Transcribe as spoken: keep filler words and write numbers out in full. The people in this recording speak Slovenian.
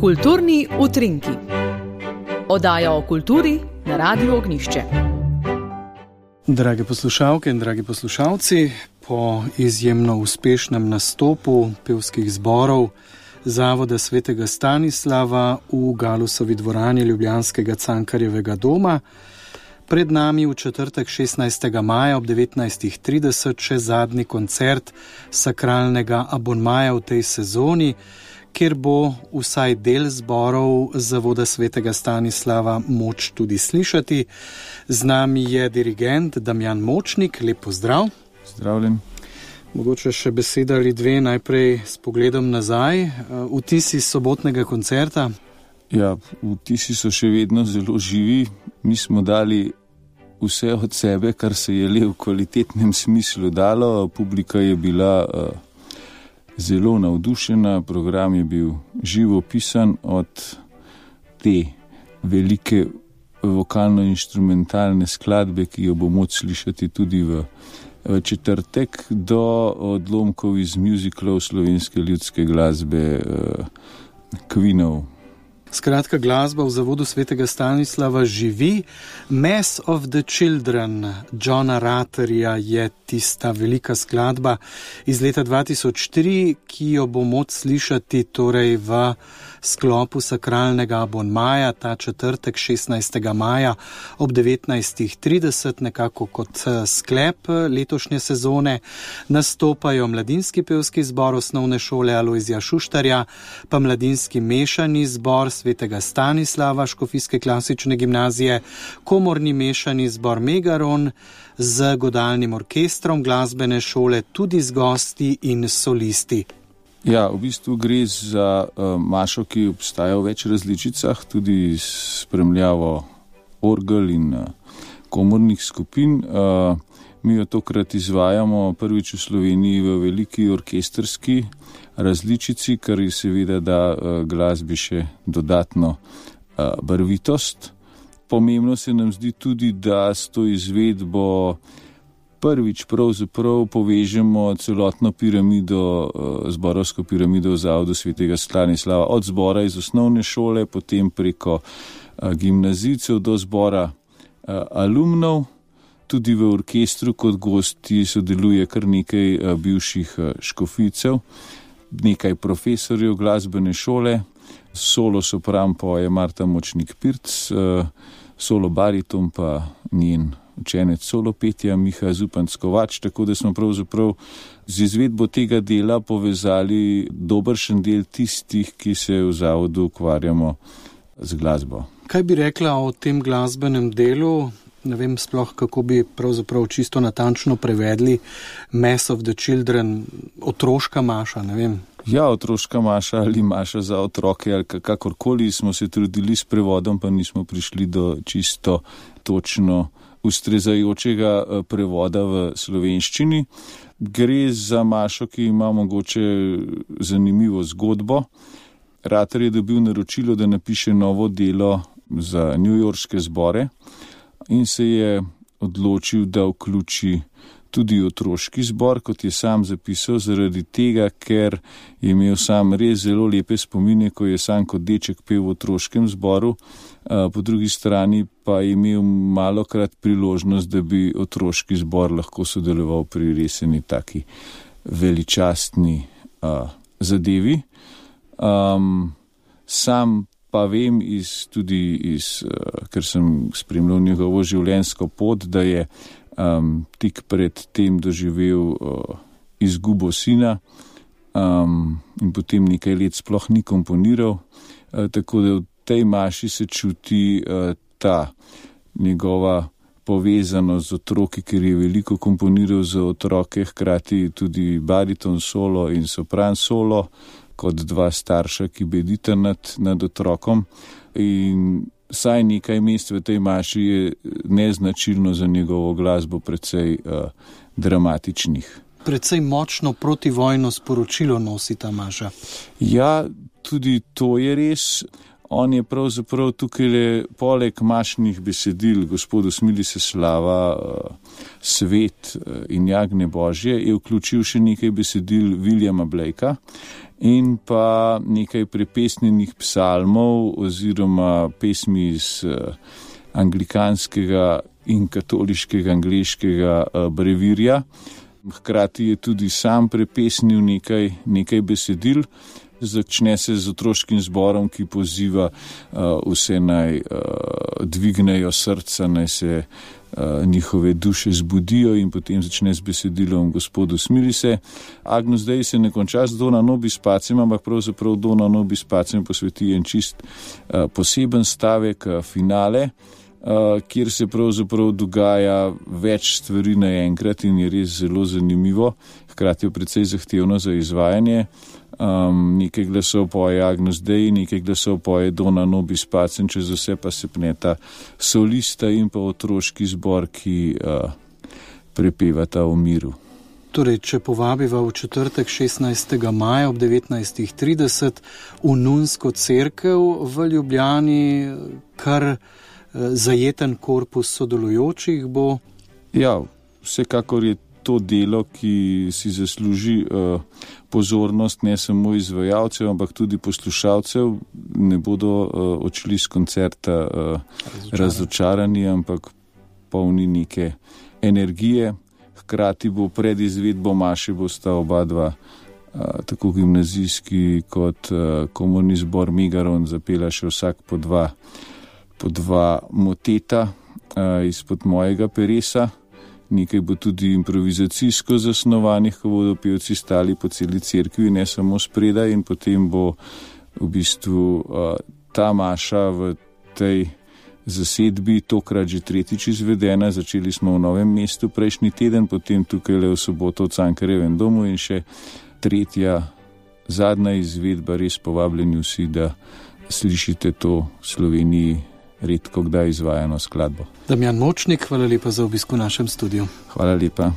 Kulturni utrinki. Oddaja o kulturi na Radiu Ognjišče. Drage poslušalke in dragi poslušalci, po izjemno uspešnem nastopu pevskih zborov Zavoda svetega Stanislava v Galusovi dvorani ljubljanskega Cankarjevega doma, pred nami v četrtek šestnajstega maja ob devetnajstih trideset še zadnji koncert sakralnega abonmaja v tej sezoni, kjer bo vsaj del zborov Zavoda svetega Stanislava moč tudi slišati. Z nami je dirigent Damjan Močnik, lep pozdrav. Zdravljen. Mogoče še beseda ali dve najprej s pogledom nazaj. Vtisi sobotnega koncerta? Ja, vtisi so še vedno zelo živi. Mi smo dali vse od sebe, kar se je le v kvalitetnem smislu dalo. Publika je bila uh, zelo navdušena, program je bil živo pisan od te velike vokalno-inštrumentalne skladbe, ki jo bo moč slišati tudi v, v četrtek, do odlomkov iz muzicalov slovenske ljudske glasbe uh, Queenov. Skratka, glasba v Zavodu svetega Stanislava živi. Mass of the Children Johna Ratterja je tista velika skladba iz leta dva tisoč tri, ki jo bo moč slišati torej v sklopu sakralnega abonmaja ta četrtek šestnajstega maja ob devetnajstih trideset, nekako kot sklep letošnje sezone. Nastopajo mladinski pevski zbor Osnovne šole Alojzija Šuštarja, pa mladinski mešani zbor svetega Stanislava Škofijske klasične gimnazije, komorni mešani zbor Megaron z godalnim orkestrom glasbene šole, tudi z gosti in solisti. Ja, v bistvu gre za uh, mašo, ki obstaja v več različicah, tudi s spremljavo orgel in uh, komornih skupin. Uh, mi jo tokrat izvajamo prvič v Sloveniji v veliki orkestrski različici, kar je seveda da uh, glasbi še dodatno uh, barvitost. Pomembno se nam zdi tudi, da s to izvedbo prvič pravzaprav povežemo celotno piramido, zborovsko piramido v Zavodu svetega Stanislava, od zbora iz osnovne šole, potem preko gimnazijcev do zbora alumnov. Tudi v orkestru kot gosti sodeluje kar nekaj bivših škofijcev, nekaj profesorjev glasbene šole, solo sopran poje Marta Močnik-Pirc, solo bariton pa njen učenec solo petja Miha Zupanc-Kovač, tako da smo pravzaprav z izvedbo tega dela povezali dobršen del tistih, ki se v zavodu ukvarjamo z glasbo. Kaj bi rekla o tem glasbenem delu? Ne vem sploh, kako bi pravzaprav čisto natančno prevedli Mass of the Children, otroška maša, ne vem. Ja, otroška maša ali maša za otroke, ali kakorkoli smo se trudili s prevodom, pa nismo prišli do čisto točno ustrezajočega prevoda v slovenščini. Gre za mašo, ki ima mogoče zanimivo zgodbo. Ratter je dobil naročilo, da napiše novo delo za newyorške zbore in se je odločil, da vključi tudi otroški zbor, kot je sam zapisal, zaradi tega, ker je imel sam res zelo lepe spomine, ko je sam kot deček pel v otroškem zboru, po drugi strani pa je imel malokrat priložnost, da bi otroški zbor lahko sodeloval pri reseni taki veličastni uh, zadevi. Um, sam pa vem iz, tudi iz, uh, ker sem spremljal njegovo življenjsko pot, da je Um, tik pred tem doživel uh, izgubo sina um, in potem nekaj let sploh ni komponiral, uh, tako da v tej maši se čuti uh, ta njegova povezanost z otroki, ker je veliko komponiral za otroke, hkrati tudi bariton solo in sopran solo, kot dva starša, ki bedita nad, nad otrokom. In saj nekaj mest v tej maši je neznačilno za njegovo glasbo precej uh, dramatičnih. Precej močno protivojno sporočilo nosi ta maša. Ja, tudi to je res. on je pravzaprav tukaj le poleg mašnih besedil gospodu smili se slava, svet in jagnje božje, je vključil še nekaj besedil Williama Blakea in pa nekaj prepesnenih psalmov oziroma pesmi iz anglikanskega in katoliškega angleškega brevirja. Hkrati je tudi sam prepesnil nekaj, nekaj besedil. Začne se z otroškim zborom, ki poziva uh, vse naj uh, dvignejo srca, naj se uh, njihove duše zbudijo in potem začne z besedilom Gospodu smili se. Agnus Dei se ne konča z Dona nobis pacem, ampak pravzaprav Dona nobis pacem posveti en čist uh, poseben stavek, uh, finale, uh, kjer se pravzaprav dogaja več stvari naenkrat in je res zelo zanimivo, hkrati je precej zahtevno za izvajanje. Um, nekaj glasov poje Agnus Dei, nekaj glasov poje Dona nobis pacem, čez vse pa se pneta solista in pa otroški zbor, ki uh, prepevata o miru. Torej, če povabiva v četrtek šestnajstega maja ob devetnajstih trideset v Nunsko cerkev v Ljubljani, kar uh, zajeten korpus sodelujočih bo? Ja, vsekakor je to delo, ki si zasluži uh, pozornost ne samo izvajalcev, ampak tudi poslušalcev. Ne bodo uh, odšli z koncerta uh, razočarani. razočarani, ampak polni neke energije. Hkrati bo pred izvedbo maše bosta oba dva, uh, tako gimnazijski kot uh, komorni zbor Megaron, zapela še vsak po dva, po dva moteta uh, izpod mojega peresa. Nekaj bo tudi improvizacijsko zasnovanih, ko bodo pevci stali po celi cerkvi, ne samo spredaj, in potem bo v bistvu uh, ta maša v tej zasedbi tokrat že tretjič izvedena. Začeli smo v Novem mestu prejšnji teden, potem tukaj le v soboto v Cankarjevem domu in še tretja, zadnja izvedba. Res povabljeni vsi, da slišite to v Sloveniji redko kdaj izvajano skladbo. Damjan Močnik, hvala lepa za obisk v našem studiu. Hvala lepa.